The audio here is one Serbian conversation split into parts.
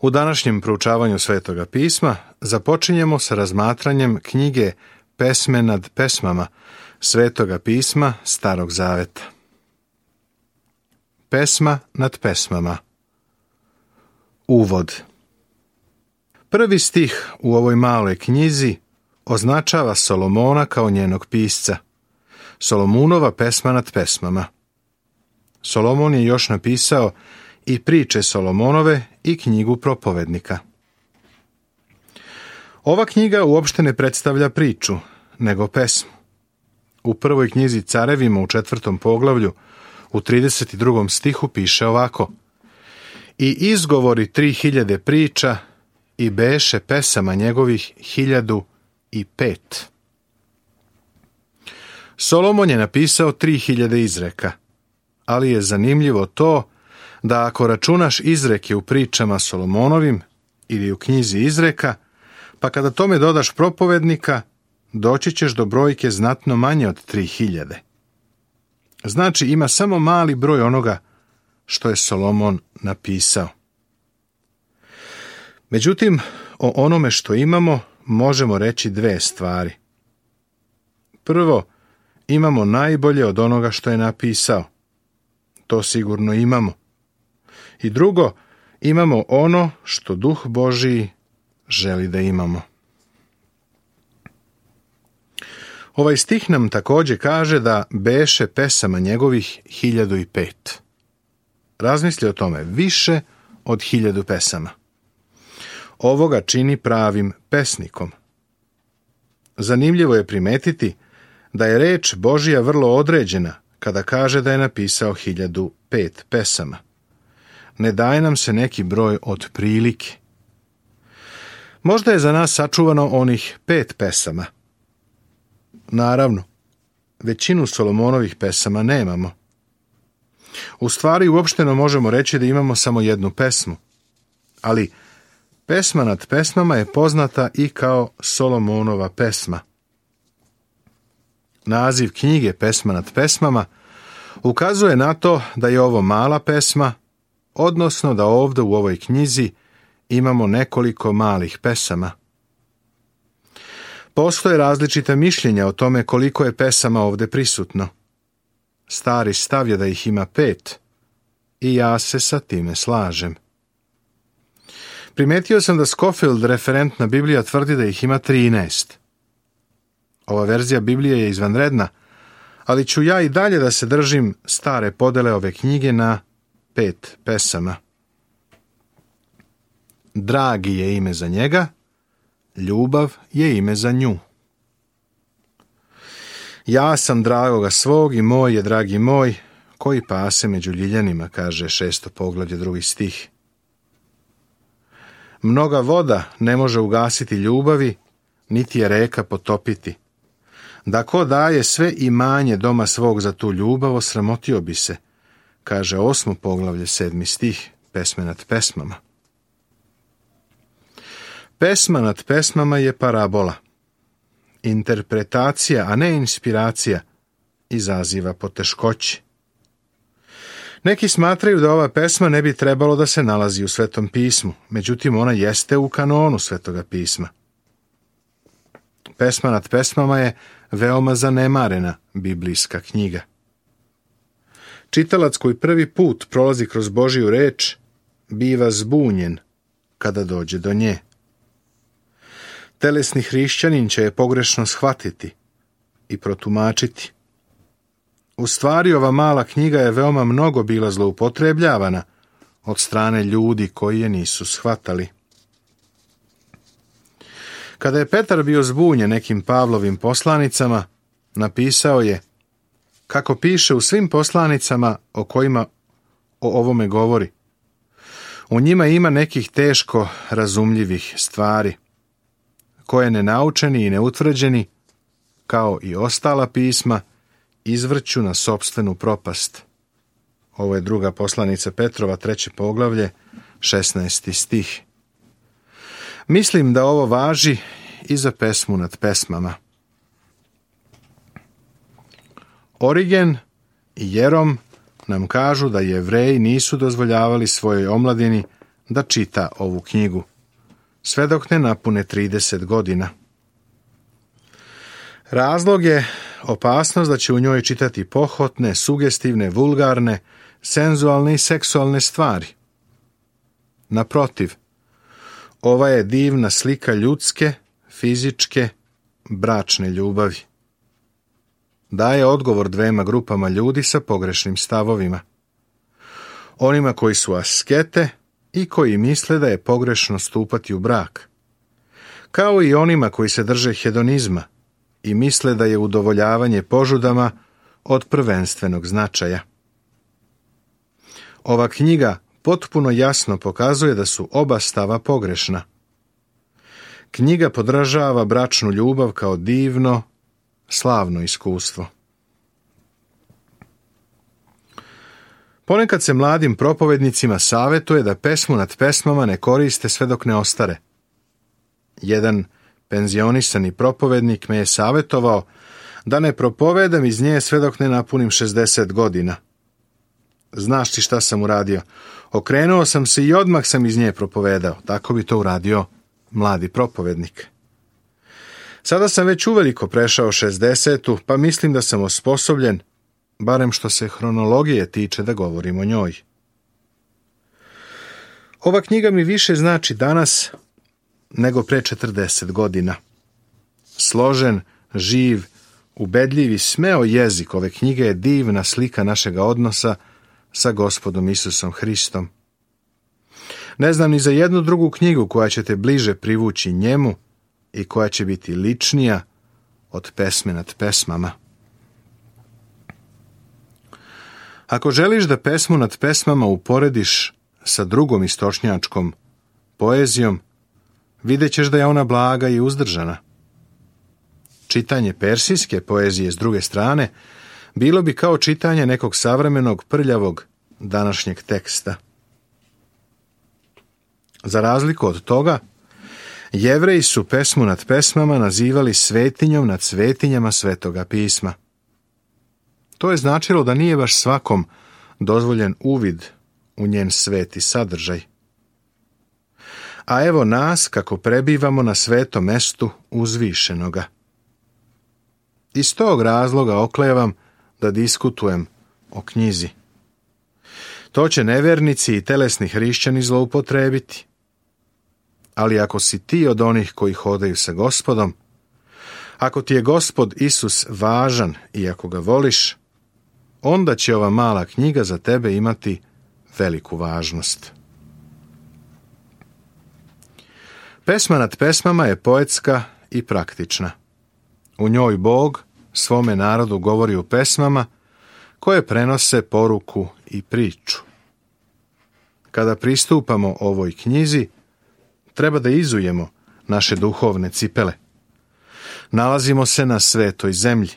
U današnjem proučavanju Svetoga pisma započinjemo sa razmatranjem knjige Pesme nad pesmama Svetoga pisma Starog zaveta. Pesma nad pesmama. Uvod. Prvi stih u ovoj maloj knjizi označava Solomona kao njenog pisca. Solomunova pesma nad pesmama. Solomon je još napisao i priče Solomonove i knjigu propovednika. Ova knjiga uopšte ne predstavlja priču, nego pesmu. U prvoj knjizi Carevima u 4. poglavlju u 32. stihu piše ovako: I izgovori 3000 priča i beše pesama njegovih 1005. Solomon je napisao 3000 izreka, ali je zanimljivo to da ako računaš izreke u pričama Solomonovim ili u knjizi izreka, pa kada tome dodaš propovednika, doći ćeš do brojke znatno manje od 3000. Znači ima samo mali broj onoga što je Solomon napisao. Međutim, o onome što imamo možemo reći dve stvari. Prvo, imamo najbolje od onoga što je napisao. To sigurno imamo. I drugo, imamo ono što Duh Božiji želi da imamo. Ovaj stih nam također kaže da beše pesama njegovih 1005. Razmisli o tome, više od 1000 pesama. Ovo ga čini pravim pesnikom. Zanimljivo je primetiti da je reč Božja vrlo određena kada kaže da je napisao 1005 pesama. Ne daje nam se neki broj od prilike. Možda je za nas sačuvano onih 5 pesama. Naravno, većinu Solomonovih pesama nemamo. U stvari uopšteno možemo reći da imamo samo jednu pesmu, ali pesma nad pesmama je poznata i kao Solomonova pesma. Naziv knjige Pesma nad pesmama ukazuje na to da je ovo mala pesma, odnosno da ovdje u ovoj knjizi imamo nekoliko malih pesama. Postoje različita mišljenja o tome koliko je pesama ovdje prisutno. Stari stav je da ih ima 5 i ja se sa time slažem. Primetio sam da Scofield, referentna Biblija, tvrdi da ih ima 13. Ova verzija Biblije je izvanredna, ali ću ja i dalje da se držim stare podele ove knjige na 5 pesama. Dragi je ime za njega, ljubav je ime za nju. Ja sam dragoga svog i moj je dragi moj, koji pase među ljiljanima, kaže 6. poglavlje 2. stih. Mnoga voda ne može ugasiti ljubavi, niti je reka potopiti. Da ko daje sve imanje doma svog za tu ljubav, osramotio bi se, kaže 8. poglavlje 7. stih Pesme nad pesmama. Pesma nad pesmama je parabola. Interpretacija, a ne inspiracija, izaziva poteškoće. Neki smatraju da ova pesma ne bi trebalo da se nalazi u Svetom pismu, međutim ona jeste u kanonu Svetoga pisma. Pesma nad pesmama je veoma zanemarena biblijska knjiga. Čitalac koji prvi put prolazi kroz Božju reč biva zbunjen kada dođe do nje. Telesni hrišćanin će je pogrešno shvatiti i protumačiti. U stvari, ova mala knjiga je veoma mnogo bila zloupotrebljavana od strane ljudi koji je nisu shvatali. Kada je Petar bio zbunjen nekim Pavlovim poslanicama, napisao je: kako piše u svim poslanicama o kojima o ovome govori. U njima ima nekih teško razumljivih stvari, koje nenaučeni i neutvrđeni, kao i ostala pisma, izvrću na sopstvenu propast. Ovo je 2. poslanica Petrova, 3. poglavlje, 16. stih. Mislim da ovo važi i za pesmu nad pesmama. Origen i Jerom nam kažu da Jevreji nisu dozvoljavali svojoj omladini da čita ovu knjigu, sve dok ne napune 30 godina. Razlog je opasnost da će u njoj čitati pohotne, sugestivne, vulgarne, senzualne i seksualne stvari. Naprotiv, ova je divna slika ljudske, fizičke, bračne ljubavi. Daje odgovor dvema grupama ljudi sa pogrešnim stavovima. Onima koji su askete i koji misle da je pogrešno stupati u brak, kao i onima koji se drže hedonizma i misle da je udovoljavanje požudama od prvenstvenog značaja. Ova knjiga potpuno jasno pokazuje da su oba stava pogrešna. Knjiga podražava bračnu ljubav kao divno, slavno iskustvo. Ponekad se mladim propovednicima savjetuje da pesmu nad pesmama ne koriste sve dok ne ostare. Jedan penzionisani propovednik me je savjetovao da ne propovedam iz nje sve dok ne napunim 60 godina. Znaš ti šta sam uradio? Okrenuo sam se i odmah sam iz nje propovedao. Tako bi to uradio mladi propovednik. Sada sam već uveliko prešao 60, pa mislim da sam osposobljen, barem što se hronologije tiče, da govorim o njoj. Ova knjiga mi više znači danas nego pre 40 godina. Složen, živ, ubedljiv i smeo jezik ove knjige je divna slika našega odnosa sa Gospodom Isusom Hristom. Ne znam ni za jednu drugu knjigu koja će te bliže privući njemu i koja će biti ličnija od pesme nad pesmama. Ako želiš da pesmu nad pesmama uporediš sa drugom istočnjačkom poezijom, vidjet ćeš da je ona blaga i uzdržana. Čitanje persijske poezije s druge strane bilo bi kao čitanje nekog savremenog prljavog današnjeg teksta. Za razliku od toga, Jevreji su pesmu nad pesmama nazivali svetinjom nad svetinjama Svetoga pisma. To je značilo da nije baš svakom dozvoljen uvid u njen sveti sadržaj. A evo nas kako prebivamo na svetom mestu uzvišenoga. Iz tog razloga oklevam da diskutujem o knjizi. To će nevernici i telesni hrišćani zloupotrebiti. Ali ako si ti od onih koji hodaju sa Gospodom, ako ti je Gospod Isus važan i ako ga voliš, onda će ova mala knjiga za tebe imati veliku važnost. Pesma nad pesmama je poetska i praktična. U njoj Bog svome narodu govori u pesmama koje prenose poruku i priču. Kada pristupamo ovoj knjizi, treba da izujemo naše duhovne cipele. Nalazimo se na svetoj zemlji.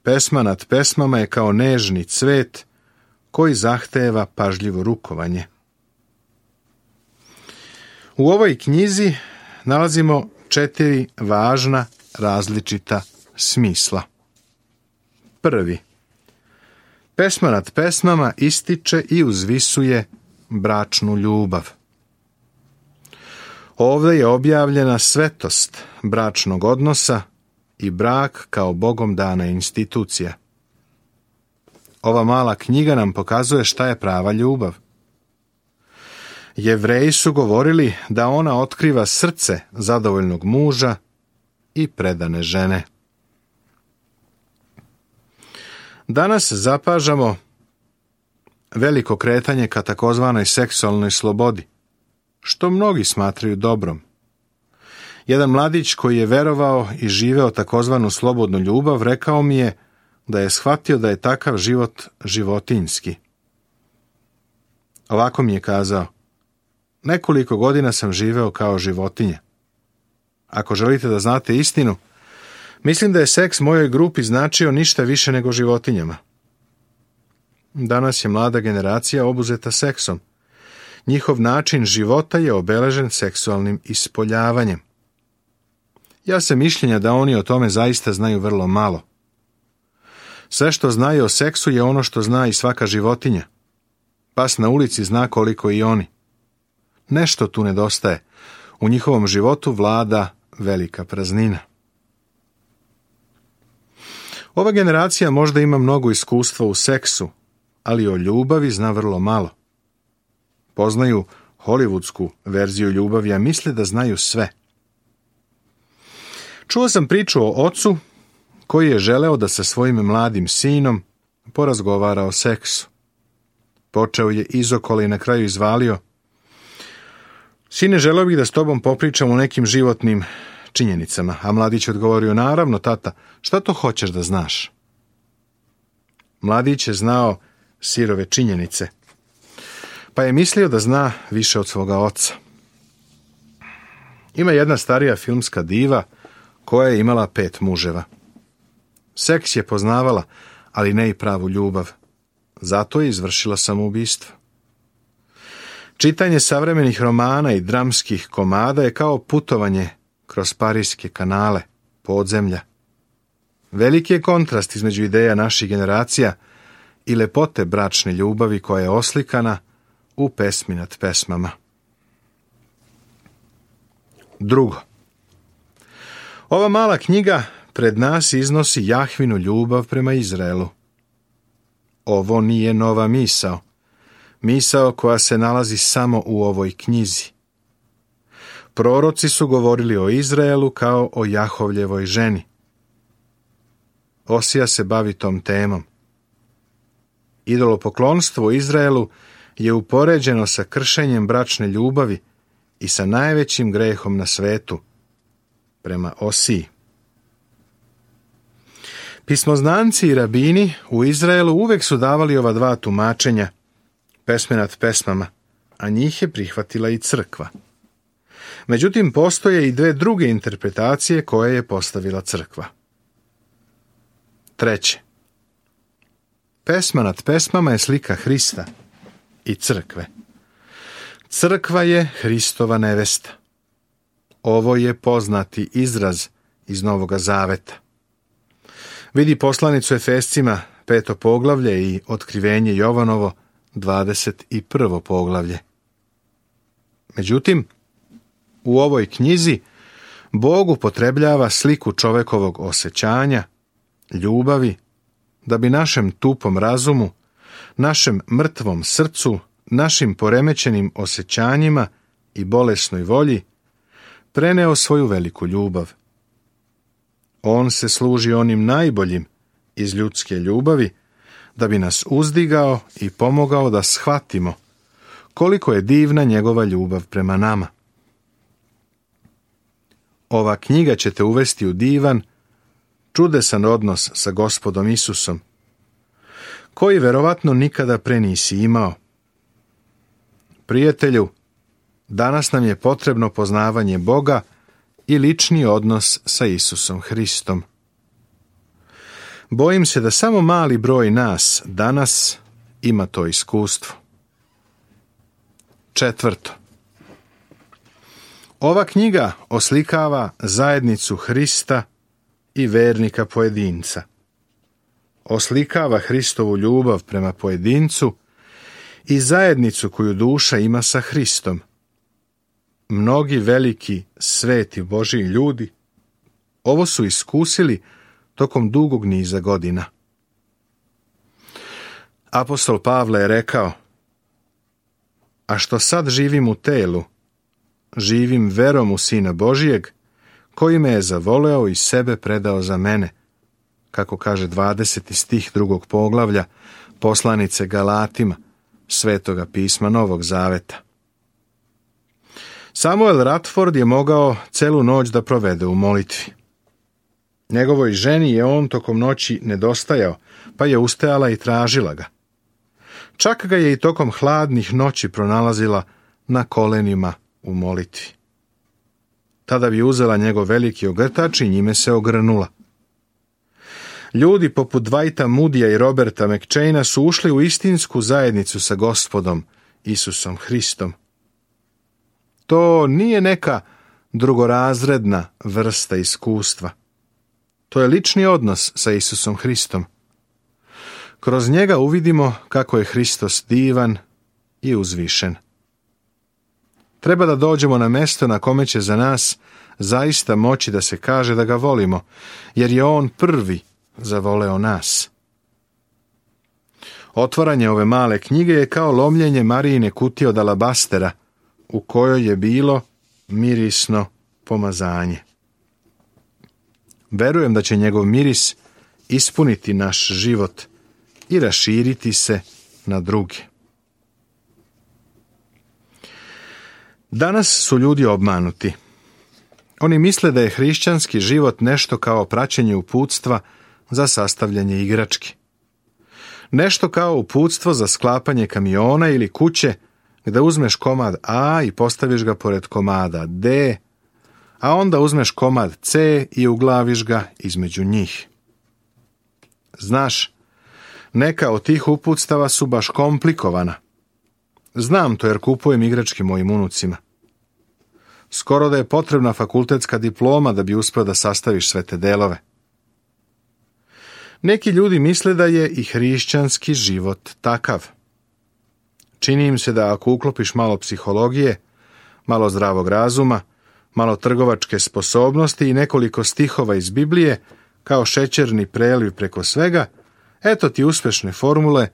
Pesma nad pesmama je kao nežni cvet koji zahteva pažljivo rukovanje. U ovoj knjizi nalazimo 4 važna različita smisla. Prvi. Pesma nad pesmama ističe i uzvisuje bračnu ljubav. Ovdje je objavljena svetost bračnog odnosa i brak kao Bogom dana institucija. Ova mala knjiga nam pokazuje šta je prava ljubav. Jevreji su govorili da ona otkriva srce zadovoljnog muža i predane žene. Danas zapažamo veliko kretanje ka takozvanoj seksualnoj slobodi, što mnogi smatraju dobrom. Jedan mladić koji je verovao i živeo takozvanu slobodnu ljubav rekao mi je da je shvatio da je takav život životinjski. Ovako mi je kazao: nekoliko godina sam živeo kao životinja. Ako želite da znate istinu, mislim da je seks mojoj grupi značio ništa više nego životinjama. Danas je mlada generacija obuzeta seksom. Njihov način života je obeležen seksualnim ispoljavanjem. Ja sam mišljenja da oni o tome zaista znaju vrlo malo. Sve što znaju o seksu je ono što zna i svaka životinja. Pas na ulici zna koliko i oni. Nešto tu nedostaje. U njihovom životu vlada velika praznina. Ova generacija možda ima mnogo iskustva u seksu, ali o ljubavi zna vrlo malo. Poznaju hollywoodsku verziju ljubavi, a misle da znaju sve. Čuo sam priču o ocu koji je želeo da sa svojim mladim sinom porazgovara o seksu. Počeo je izokolo i na kraju izvalio: Sine, želeo bih da s tobom popričam o nekim životnim činjenicama. A mladić odgovorio: Naravno, tata, šta to hoćeš da znaš? Mladić je znao sirove činjenice, pa je mislio da zna više od svoga oca. Ima jedna starija filmska diva koja je imala 5 muževa. Seks je poznavala, ali ne i pravu ljubav. Zato je izvršila samoubistvo. Čitanje savremenih romana i dramskih komada je kao putovanje kroz parijske kanale, podzemlja. Veliki je kontrast između ideja naših generacija i lepote bračne ljubavi koja je oslikana u Pesmi nad pesmama. Drugo. Ova mala knjiga pred nas iznosi Jahvinu ljubav prema Izraelu. Ovo nije nova misao. Misao koja se nalazi samo u ovoj knjizi. Proroci su govorili o Izraelu kao o Jahovljevoj ženi. Osija se bavi tom temom. Idolopoklonstvo u Izraelu je upoređeno sa kršenjem bračne ljubavi i sa najvećim grehom na svetu, prema Osiji. Pismoznanci i rabini u Izraelu uvek su davali ova 2 tumačenja Pesme nad pesmama, a njih je prihvatila i crkva. Međutim, postoje i 2 druge interpretacije koje je postavila crkva. Treće. Pesma nad pesmama je slika Hrista i crkve. Crkva je Hristova nevesta. Ovo je poznati izraz iz Novoga Zaveta. Vidi poslanicu Efescima 5. poglavlje i Otkrivenje Jovanovo 21. poglavlje. Međutim, u ovoj knjizi Bog upotrebljava sliku čovekovog osjećanja, ljubavi, da bi našem tupom razumu, našem mrtvom srcu, našim poremećenim osjećanjima i bolesnoj volji preneo svoju veliku ljubav. On se služi onim najboljim iz ljudske ljubavi da bi nas uzdigao i pomogao da shvatimo koliko je divna njegova ljubav prema nama. Ova knjiga će te uvesti u divan, čudesan odnos sa Gospodom Isusom, koji verovatno nikada pre nisi imao. Prijatelju, danas nam je potrebno poznavanje Boga i lični odnos sa Isusom Hristom. Bojim se da samo mali broj nas danas ima to iskustvo. Četvrto. Ova knjiga oslikava zajednicu Hrista i vernika pojedinca. Oslikava Hristovu ljubav prema pojedincu i zajednicu koju duša ima sa Hristom. Mnogi veliki, sveti Božji ljudi ovo su iskusili tokom dugog niza godina. Apostol Pavle je rekao: A što sad živim u telu, živim verom u Sina Božijeg, koji me je zavoleo i sebe predao za mene, kako kaže 20. stih 2. poglavlja poslanice Galatima, Svetoga pisma Novog Zaveta. Samuel Radford je mogao celu noć da provede u molitvi. Njegovoj ženi je on tokom noći nedostajao, pa je ustajala i tražila ga. Čak ga je i tokom hladnih noći pronalazila na kolenima u molitvi. Tada bi uzela njegov veliki ogrtač i njime se ogrnula. Ljudi poput Dwighta Moodya i Roberta McChaina su ušli u istinsku zajednicu sa Gospodom Isusom Hristom. To nije neka drugorazredna vrsta iskustva. To je lični odnos sa Isusom Hristom. Kroz njega uvidimo kako je Hristos divan i uzvišen. Treba da dođemo na mesto na kome će za nas zaista moći da se kaže da ga volimo, jer je on prvi zavoleo nas. Otvaranje ove male knjige je kao lomljenje Marijine kutije od alabastera, u kojoj je bilo mirisno pomazanje. Verujem da će njegov miris ispuniti naš život i raširiti se na druge. Danas su ljudi obmanuti. Oni misle da je hrišćanski život nešto kao praćenje uputstva za sastavljanje igrački. Nešto kao uputstvo za sklapanje kamiona ili kuće, gdje uzmeš komad A i postaviš ga pored komada D, a onda uzmeš komad C i uglaviš ga između njih. Znaš, neka od tih uputstava su baš komplikovana. Znam to jer kupujem igračke mojim unucima. Skoro da je potrebna fakultetska diploma da bi uspio da sastaviš sve te delove. Neki ljudi misle da je i hrišćanski život takav. Čini im se da ako uklopiš malo psihologije, malo zdravog razuma, malo trgovačke sposobnosti i nekoliko stihova iz Biblije, kao šećerni preliv preko svega, eto ti uspešne formule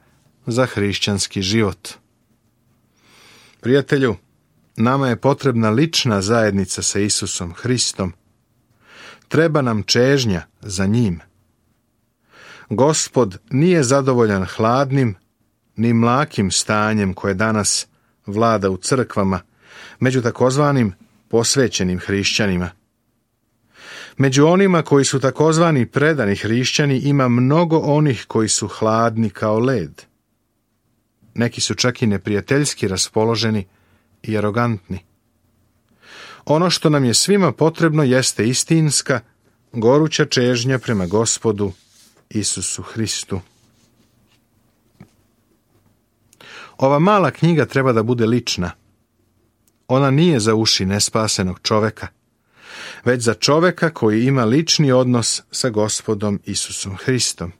za hrišćanski život. Prijatelju, nama je potrebna lična zajednica sa Isusom Hristom. Treba nam čežnja za njim. Gospod nije zadovoljan hladnim ni mlakim stanjem koje danas vlada u crkvama, među takozvanim posvećenim hrišćanima. Među onima koji su takozvani predani hrišćani ima mnogo onih koji su hladni kao led. Neki su čak i neprijateljski raspoloženi i arogantni. Ono što nam je svima potrebno jeste istinska, goruća čežnja prema Gospodu Isusu Hristu. Ova mala knjiga treba da bude lična. Ona nije za uši nespasenog čoveka, već za čoveka koji ima lični odnos sa Gospodom Isusom Hristom.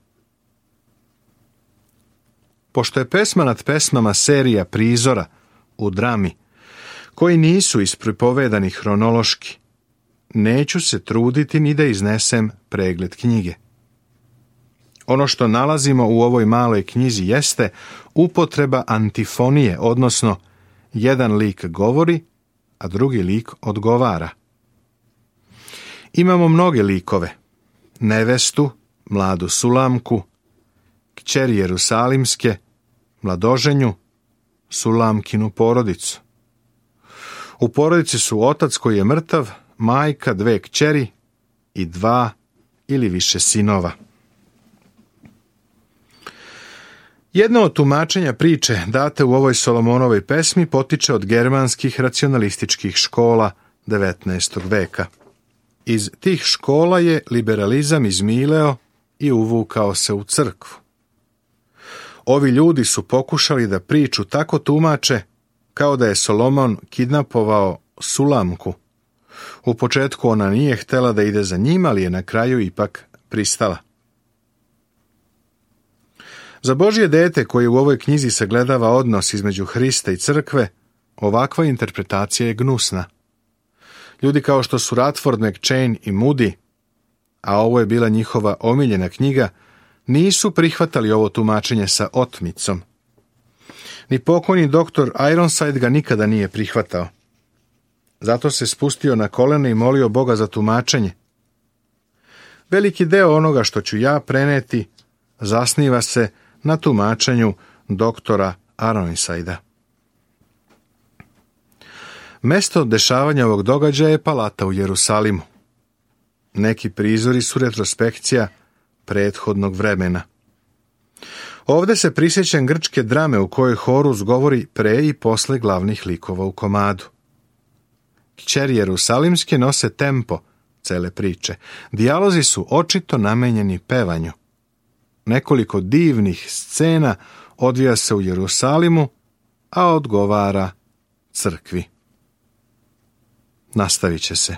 Pošto je pesma nad pesmama serija prizora u drami, koji nisu ispripovedani hronološki, neću se truditi ni da iznesem pregled knjige. Ono što nalazimo u ovoj maloj knjizi jeste upotreba antifonije, odnosno jedan lik govori, a drugi lik odgovara. Imamo mnoge likove: nevestu, mladu Sulamku, kćeri Jerusalimske, mladoženju, Sulamkinu porodicu. U porodici su otac koji je mrtav, majka, 2 kćeri i 2 ili više sinova. Jedno od tumačenja priče date u ovoj Solomonovoj pesmi potiče od germanskih racionalističkih škola 19. veka. Iz tih škola je liberalizam izmileo i uvukao se u crkvu. Ovi ljudi su pokušali da priču tako tumače kao da je Solomon kidnapovao Sulamku. U početku ona nije htela da ide za njim, ali je na kraju ipak pristala. Za Božje dete koje u ovoj knjizi sagledava odnos između Hrista i crkve, ovakva interpretacija je gnusna. Ljudi kao što su Radford, McChain i Moody, a ovo je bila njihova omiljena knjiga, nisu prihvatali ovo tumačenje sa otmicom. Ni pokojni doktor Ironside ga nikada nije prihvatao. Zato se spustio na kolena i molio Boga za tumačenje. Veliki deo onoga što ću ja preneti zasniva se na tumačenju doktora Ironsida. Mesto dešavanja ovog događaja je palata u Jerusalimu. Neki prizori su retrospekcija prethodnog vremena. Ovdje se prisjećam grčke drame u kojoj Horus govori pre i posle glavnih likova u komadu. Kćeri Jerusalimske nose tempo cele priče. Dijalozi su očito namenjeni pevanju. Nekoliko divnih scena odvija se u Jerusalimu, a odgovara crkvi. Nastavit će se.